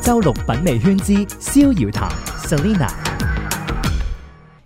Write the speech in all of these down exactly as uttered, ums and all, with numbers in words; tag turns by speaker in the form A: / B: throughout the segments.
A: 周六品味圈之逍遙談 Selina。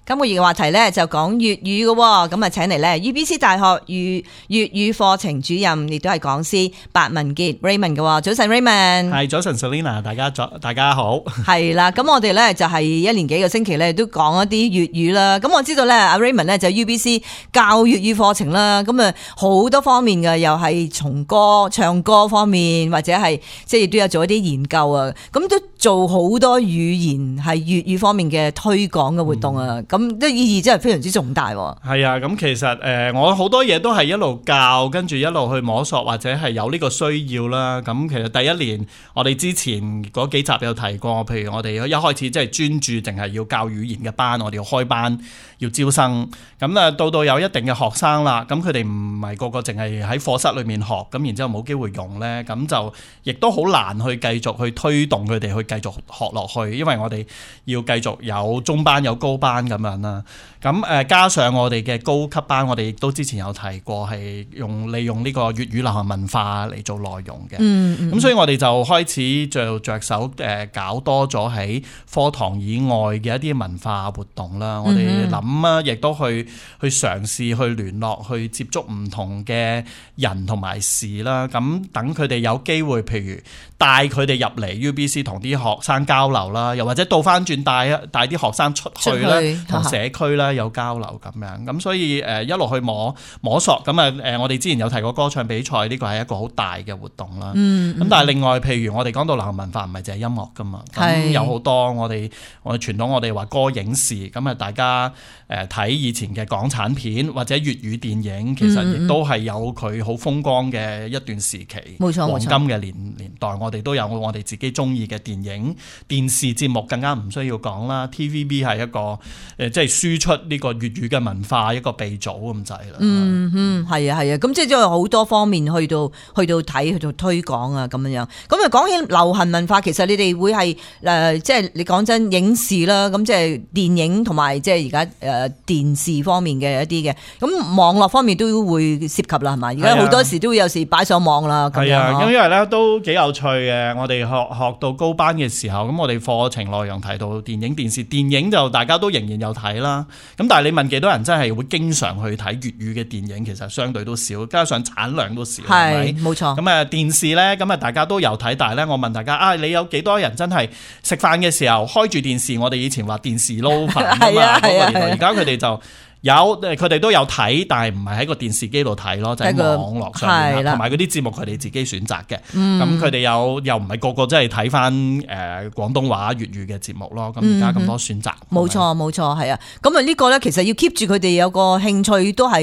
B: 今個月嘅話題咧就講粵語嘅，咁啊請嚟咧 U B C 大學粵粵語課程主任，亦都係講師白文傑 Raymond 嘅。早晨 Raymond，
C: 係早晨 Selina， 大家早大家好。係
B: 啦，咁我哋咧就係一連幾個星期咧都講一啲粵語啦。咁我知道咧阿 Raymond 咧就 U B C 教粵語課程啦，咁啊好多方面嘅，又係從歌唱歌方面，或者係即係亦都有做一啲研究啊。咁都做好多語言係粵語方面嘅推廣嘅活動啊。咁、嗯咁啲意義真係非常之重大。
C: 係啊，咁其實誒、呃，我好多嘢都係一路教，跟住一路去摸索，或者係有呢個需要啦。咁其實第一年我哋之前嗰幾集有提過，譬如我哋一開始即係專注淨係要教語言嘅班，我哋要開班要招生。咁啊，到到有一定嘅學生啦，咁佢哋唔係個個淨係喺課室裏面學，咁然之後冇機會用咧，咁就亦都好難去繼續去推動佢哋去繼續學落去，因為我哋要繼續有中班有高班咁樣啦。咁誒加上我哋嘅高級班，我哋亦都之前有提過，係用利用呢個粵語流行文化嚟做內容嘅。嗯嗯。咁所以我哋就開始就着手誒搞多咗喺課堂以外嘅一啲文化活動啦。我哋諗啊，亦都去去嘗試去聯絡、去接觸唔同嘅人同埋事啦。咁等佢哋有機會，譬如帶佢哋入嚟 U B C 同啲學生交流啦，又或者倒翻轉帶帶啲學生出去啦，同社區啦有交流咁樣。咁所以誒一路去摸摸索。咁啊誒，我哋之前有提過歌唱比賽，呢個係一個好大嘅活動啦。咁、嗯嗯、但係另外，譬如我哋講到流行文化，唔係淨係音樂噶嘛。咁有好多我哋我哋傳統，我哋話歌影視。咁啊，大家誒睇以前嘅港產片或者粵語電影，其實亦都係有佢好風光嘅一段時期。冇錯，黃金嘅年年代，我哋都有我哋自己中意嘅電影、電視節目，更加唔需要講啦。T V B 係一個誒，即係輸出呢個粵語嘅文化一個鼻祖咁滯啦。
B: 嗯嗯，係啊係啊，咁即係都有好多方面去到去到睇去到推廣啊咁樣樣。咁啊講起流行文化，其實你哋會係誒、呃，即係你講真影視啦，咁即係電影同埋即係而家誒電視方面嘅一啲嘅，咁網絡方面都會涉及啦，係嘛？而家好多時都會有時擺上網啦。係啊，
C: 咁因為咧都幾有趣嘅。我哋學學到高班嘅時候，咁我哋課程內容提到電影、電視，電影就大家都仍然有睇啦。咁但係你問幾多人真係會經常去睇粵語嘅電影，其實相對都少，加上產量都少，係咪？冇錯。咁啊電視咧，咁啊大家都有睇，但係咧我問大家啊，你有幾多人真係食飯嘅時候開住電視？我哋以前話電視撈飯啊嘛，嗰個年代，而家佢哋就有，佢哋都有睇，但係唔係喺個電視機度睇咯，就喺網絡上面，同埋嗰啲節目佢哋自己選擇嘅。咁佢哋有又唔係個個真係睇翻誒廣東話粵語嘅節目咯。咁而家咁多選擇，
B: 冇錯冇錯，係啊。咁啊呢個咧其實要 keep 住佢哋有個興趣，都係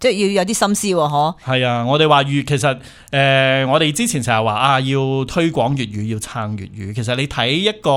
B: 即係要有啲心思喎，嗬。係
C: 啊，我哋話粵其實誒、呃，我哋之前成日話啊，要推廣粵語，要撐粵語。其實你睇一個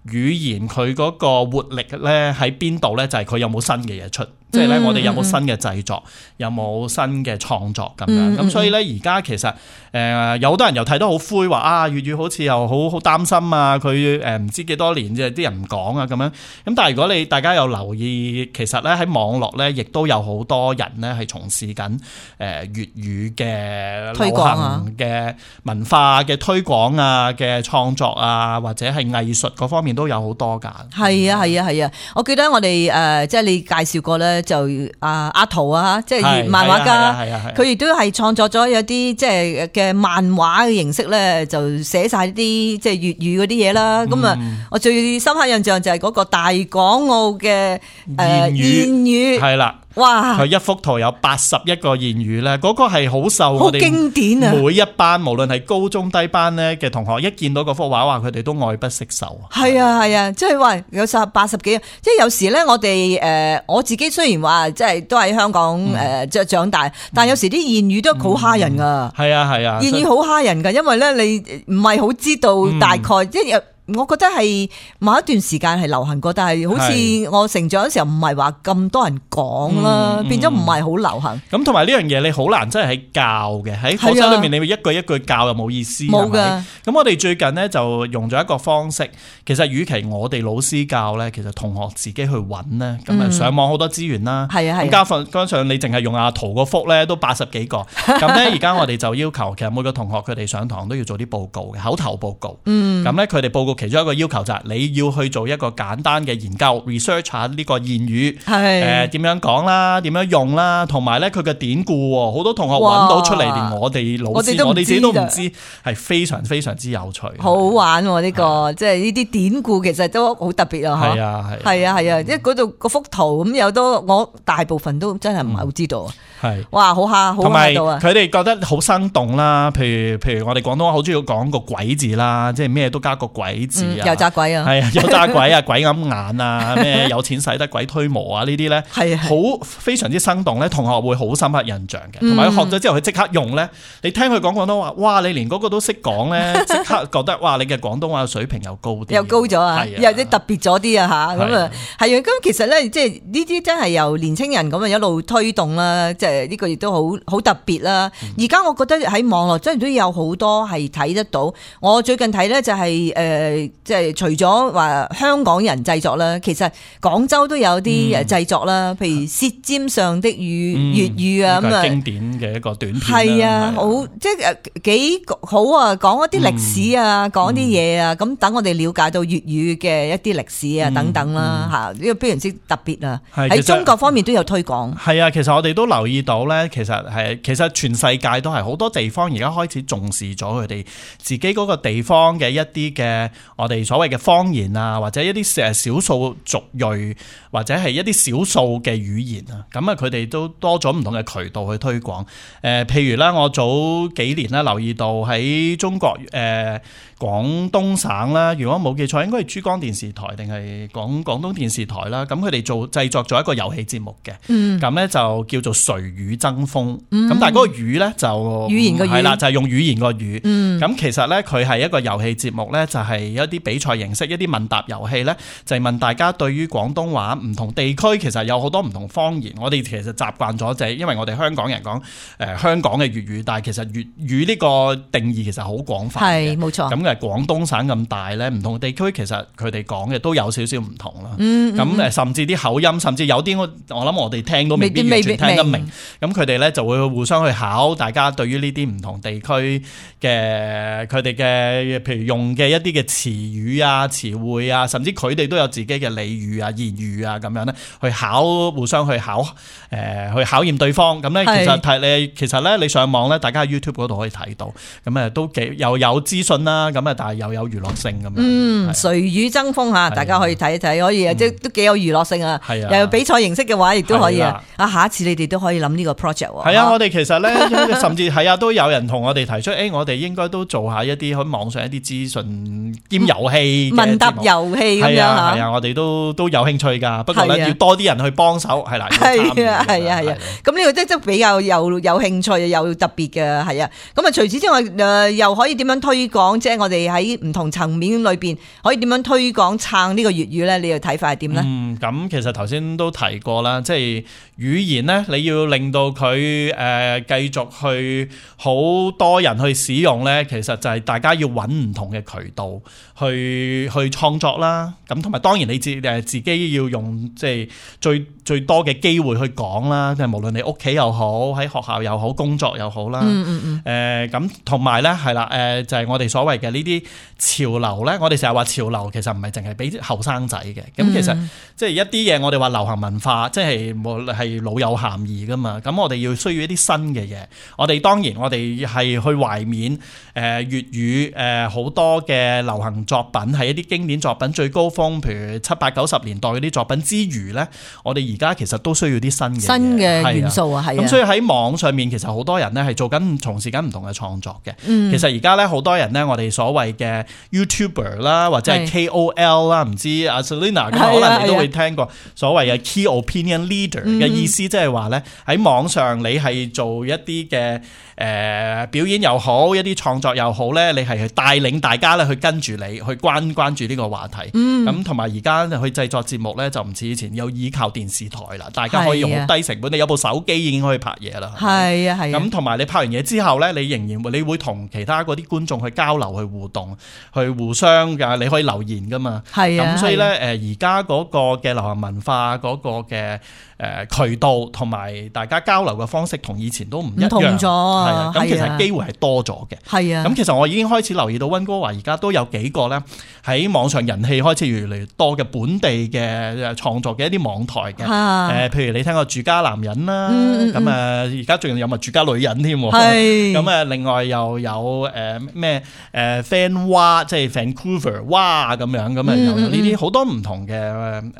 C: 語言佢嗰個活力咧喺邊度咧？就係、是、佢有冇新嘅嘢出。即係咧，我哋有冇新嘅製作，有冇新嘅創作咁樣？咁所以咧，而家其實誒、呃、有好多人又睇得好灰，話啊粵語好似又好好擔心啊，佢誒唔知幾多年啫，啲人唔講啊咁樣。咁但係如果你大家有留意，其實咧喺網絡咧，亦都有好多人咧係從事緊誒粵語嘅流行嘅文化嘅推廣啊嘅創作啊，或者係藝術嗰方面都有好多㗎。係啊係啊係啊！我記得我哋誒、呃、即係你介紹過咧。就阿阿陶啊，即係漫畫家，佢亦都係創作咗有啲即係嘅漫畫嘅形式咧，就寫晒啲即係粵語嗰啲嘢啦。咁啊、嗯，我最深刻印象就係嗰個大港澳嘅誒諺語，係啦。哇！佢一幅圖有八十一個諺語咧，嗰、那個係好受我哋經典啊！每一班無論係高中低班咧嘅同學，一見到嗰幅畫，話佢哋都愛不釋手。係啊係啊，即係話有十八十幾，即係有時咧，我哋誒、呃、我自己雖然話即係都喺香港誒即係長大，嗯、但係有時啲諺語都好蝦人噶。係啊係啊，諺語好蝦人噶，因為咧你唔係好知道大概、嗯、即係。
B: 我覺得係某一段時間係流行過，但係好似我成長嘅時候唔係話咁多人講啦，嗯、變咗唔係好流行。
C: 咁同埋呢樣嘢你好難真係喺教嘅，喺課室裏面你會一句一句教又冇意思。冇㗎。咁我哋最近咧就用咗一個方式，其實與其我哋老師教咧，其實同學自己去揾咧，咁啊上網好多資源啦。係啊係。咁加上加上你淨係用阿圖個幅咧都八十幾個，咁咧而家我哋就要求其實每個同學佢哋上堂都要做啲報告嘅口頭報告。嗯。咁咧佢哋報告其中一個要求就係你要去做一個簡單嘅研究 research 下呢個諺語，誒點樣講啦，點樣用啦，同埋咧佢嘅典故喎，好多同學揾到出嚟，連我哋老師我哋自己都唔知，係非常非常之有趣。好
B: 玩喎呢個，即係呢啲典故其實都好特別啊！
C: 係啊係。
B: 係啊係啊，因為嗰度嗰幅圖咁有都我大部分都真係唔係好知道。
C: 係。
B: 哇！好嚇好嚇到啊！
C: 佢哋覺得好生動啦，譬如譬如我哋廣東話好中意講個鬼字啦，即係咩都加個鬼字啊，
B: 油炸鬼啊，
C: 係啊，油炸鬼啊，鬼揞眼啊，咩有錢使得鬼推磨啊，呢啲咧係好非常之生動咧，同學會好深刻印象嘅，同埋佢學咗之後佢即刻用咧，你聽佢講廣東話，哇！你連嗰個都識講咧，即刻覺得哇！你嘅廣東話水平又高啲，
B: 又高咗啊，有啲特別咗啲啊嚇，咁啊係啊，咁其實咧即係呢啲真係由年青人咁啊一路推動啦，即係呢個亦都好好特別啦。而家我覺得喺網絡真係都有好多係睇得到。我最近睇咧就係誒，即係除咗話香港人製作啦，其實廣州都有啲誒製作啦，譬如《舌尖上的語》粵語啊，咁啊
C: 經典嘅一個短片。
B: 係啊，好即係幾好啊，講一啲歷史啊，講啲嘢啊，咁等我哋了解到粵語嘅一啲歷史啊等等啦嚇，呢個非常之特別啊！喺中國方面都有推廣。
C: 係啊，其實我哋都留意到咧，其實係其實全世界都係好多地方而家開始重視咗佢哋自己嗰個地方嘅一啲嘅我哋所謂嘅方言啊，或者一啲誒少數族裔或者係一啲少數嘅語言啊，咁啊佢哋都多咗唔同嘅渠道去推廣。誒、呃，譬如咧，我早幾年咧留意到喺中國誒、呃、廣東省啦，如果冇記錯，應該係珠江電視台定係廣廣東電視台啦。咁佢哋做製作咗一個遊戲節目嘅，咁咧、嗯、就叫做誰語爭鋒。咁、嗯、但係嗰個語咧就語
B: 言個語
C: 係啦，就係、是、用語言個語。咁、嗯、其實咧佢係一個遊戲節目咧，就係一啲比賽形式，一啲問答遊戲咧，就係問大家對於廣東話唔同地區其實有好多唔同方言。我哋其實習慣咗就係因為我哋香港人講誒、呃、香港嘅粵語，但係其實粵語呢個定義其實好廣泛嘅，
B: 係冇錯。
C: 咁嘅廣東省咁大咧，唔同地區其實佢哋講嘅都有少少唔同啦。咁誒、
B: 嗯嗯，
C: 甚至啲口音，甚至有啲我我諗我哋聽都未必完全聽得明。咁佢哋咧就會互相去考大家對於呢啲唔同地區嘅佢哋嘅譬如用嘅一啲嘅詞語啊、詞彙啊，甚至佢哋都有自己嘅俚語啊、言語啊咁樣咧，去考互相去考誒、呃、去考驗對方。咁咧其實睇你其實咧你上網咧，大家喺 YouTube 嗰度可以睇到，咁誒都幾又有資訊啦，咁啊但係又有娛樂性咁樣。嗯，
B: 誰語爭鋒嚇，大家可以睇一睇，可以即係都幾有娛樂性啊。係啊，又有比賽形式嘅話，亦都可以啊。啊，下一次你哋都可以諗呢個 project 喎。
C: 係啊，我哋其實咧，甚至係啊，都有人同我哋提出，誒、欸，我哋應該都做下一啲喺網上一啲資訊兼遊戲
B: 問答遊戲咁樣嚇。
C: 係啊，我哋都都有興趣㗎。不過咧，要多啲人去幫手，係啦。
B: 係啊，係啊，係啊。咁呢個即係比較有有興趣又特別嘅，係啊。咁啊，除此之外，誒又可以點樣推廣？即係我哋喺唔同層面裏邊可以點樣推廣撐呢個粵語咧？你嘅睇法係點咧？
C: 嗯，咁其實頭先都提過啦，即係語言咧，你要令到佢誒繼續去好多人去使用咧，其實就係大家要揾唔同嘅渠道去去創作啦。咁同埋當然你自誒自己要用即係最最多嘅機會去講啦，即係無論你屋企又好，喺學校又好，工作又好啦。嗯嗯嗯。誒咁同埋咧係啦，誒就係我哋所謂嘅呢啲潮流咧，我哋成日話潮流其實唔係淨係俾後生仔嘅。咁其實即係一啲嘢我哋話流行文化，即係冇係老有咸宜噶嘛。咁我哋要需要一啲新嘅嘢。我哋當然我哋係去懷緬誒粵語誒好多嘅流行作品，係一啲經典作品最高峰，譬如七八九十年代嗰啲作品之餘咧，我哋而家其實都需要啲新嘅
B: 新嘅元素啊，係啊。
C: 咁所以喺網上面其實好多人咧係做緊從事緊唔同嘅創作嘅。嗯、其實而家咧好多人咧，我哋所謂嘅 YouTuber 啦，或者係 K O L 啦，唔知阿 Selina 咁可能你都會聽過所謂嘅 Key Opinion Leader 嘅意思，即係話咧喺網上你係做一啲嘅誒表演又好，一啲創作作又好咧，你係去帶領大家咧去跟住你去關關注呢個話題。咁同埋而家去製作節目咧，就唔似以前有依靠電視台啦，大家可以用好低成本，你有部手機已經可以拍嘢啦。
B: 係啊係啊。
C: 咁同埋你拍完嘢之後咧，你仍然會你會同其他嗰啲觀眾去交流、去互動、去互相㗎，你可以留言噶嘛。
B: 係啊。
C: 咁所以咧，誒而家嗰個嘅流行文化嗰個嘅誒渠道同埋大家交流嘅方式同以前都唔一樣，唔同咗啊。咁其實機會係多咗嘅。係啊。咁其實我已經開始留意到溫哥華而家都有幾個咧喺網上人氣開始越嚟越多嘅本地嘅創作嘅一啲網台嘅。誒、啊，譬如你聽過住家男人啦，咁誒而家仲有咪住家女人添。係。咁誒，另外又有誒咩誒 Fan 哇，即係 Vancouver 哇咁樣，咁誒又有呢啲好多唔同嘅誒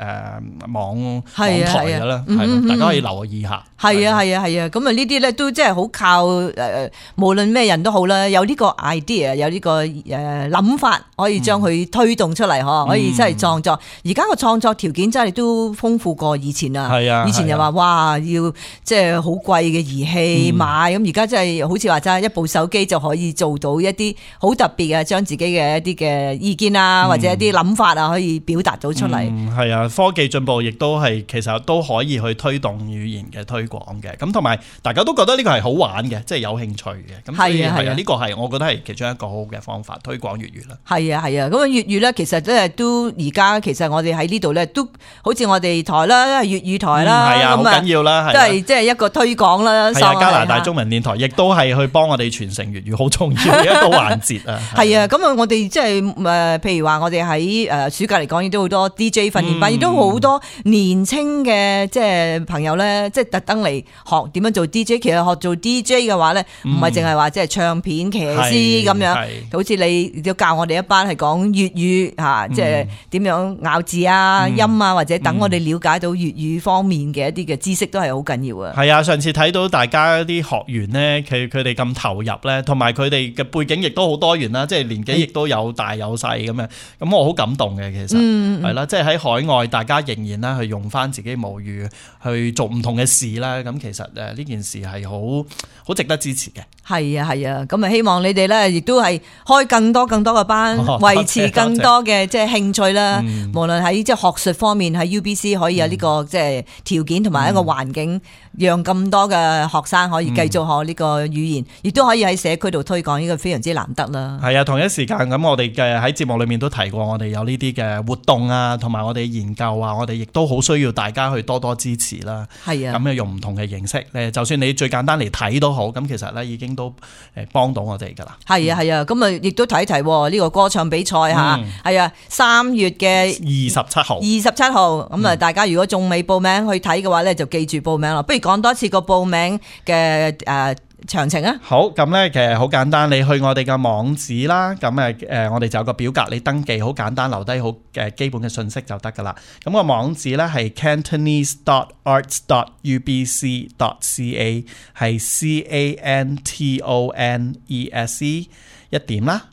C: 網網台㗎啦。係、嗯，大家可以留意下。係啊，係啊，係啊，咁啊呢啲咧都即係好靠誒、呃，無論咩人都好啦，有呢個 idea， 有呢個誒諗法，可以將佢推動出嚟，嗬、嗯，可以真係創作。而家個創作條件真係都豐富過以前啊。係啊，以前又話哇，要即係好貴嘅儀器買，咁而家真係好似話齋一部手機就可以做到一啲好特別嘅，將自己嘅一啲嘅意見啊，或者一啲諗法啊，可以表達到出嚟。係、嗯、啊，科技進步亦都係其實都可以去推動語言嘅推廣嘅，咁同埋大家都覺得呢個係好玩嘅，即係有興趣嘅，咁所以係啊，呢個係我覺得係其中一個好好嘅方法推廣粵語啦。係啊係啊，咁啊粵語咧，其實咧都而家其實我哋喺呢度咧都好似我哋台啦，粵語台啦，係啊，好緊要啦，都係即係一個推廣啦。係啊，加拿大中文電台亦都係去幫我哋傳承粵語好重要嘅一個環節啊。係啊，咁啊我哋即係誒，譬如話我哋喺誒暑假嚟講，亦都好多 D J 訓練班，亦都好多年青嘅即係朋友咧，即係特登嚟學點樣做 D J。其實學做 D J 嘅話咧，唔係淨係話即係唱片騎師咁樣，好似你都教我哋一班係講粵語吓，即係點樣咬字啊、嗯、音啊，或者等我哋了解到粵語方面嘅一啲嘅知識都係好緊要啊。係啊，上次睇到大家啲學員咧，佢佢哋咁投入咧，同埋佢哋嘅背景亦都好多元啦，即係年紀亦都有大有細咁樣，咁我好感動嘅。其實係啦，即係喺海外，大家仍然啦去用翻自己母語去做唔同嘅事啦。咁其實誒呢件事係好好值得支持嘅。係啊係啊，咁啊希望你哋咧亦都係開更多更多嘅班，維持更多嘅即係興趣啦。無論喺即係學術方面，喺 U B C 可以有呢個即係條件同埋一個環境，讓咁多嘅學生可以繼續學呢個語言，亦都可以喺社區度推廣，呢個非常之難得啦。係啊，同一時間咁，我哋嘅喺節目裏面都提過，我哋有呢啲嘅活動啊，同埋我哋研究啊，我哋亦都好需要大家去多多支持啦。係啊，咁啊用唔同嘅形式咧，就算你最簡單嚟睇都好，咁其實咧已經都誒幫到我哋噶啦。係啊係啊，咁啊亦都提一提呢個歌唱比賽吓，係、嗯、啊三月嘅二十七號，二十七號咁啊，大家如果仲未報名去睇嘅話咧，就記住報名啦。不如講多次個報名嘅誒詳情啊。好，咁咧其實好簡單，你去我哋嘅網址啦，咁誒誒我哋就有個表格，你登記好簡單，留低好嘅基本嘅信息就得噶啦。咁個網址咧係 cantonese dot arts dot u b c dot c a， 係 C A N T O N E S E 一點啦，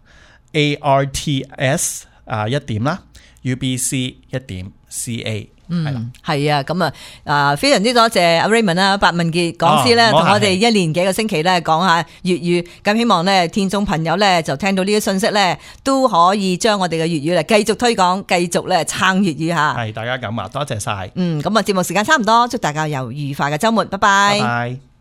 C: A R T S 啊一點啦， U B C 一點 C A。嗯，係啊，咁啊，啊非常之多謝阿 Raymond 啦，白文傑講師咧，同、哦、我哋一年幾個星期咧講下粵語，咁希望咧聽眾朋友咧就聽到呢啲信息咧，都可以將我哋嘅粵語咧繼續推廣，繼續咧撐粵語吓。係大家咁啊，多謝晒。嗯，咁啊節目時間差唔多，祝大家有愉快嘅周末，拜拜。拜拜。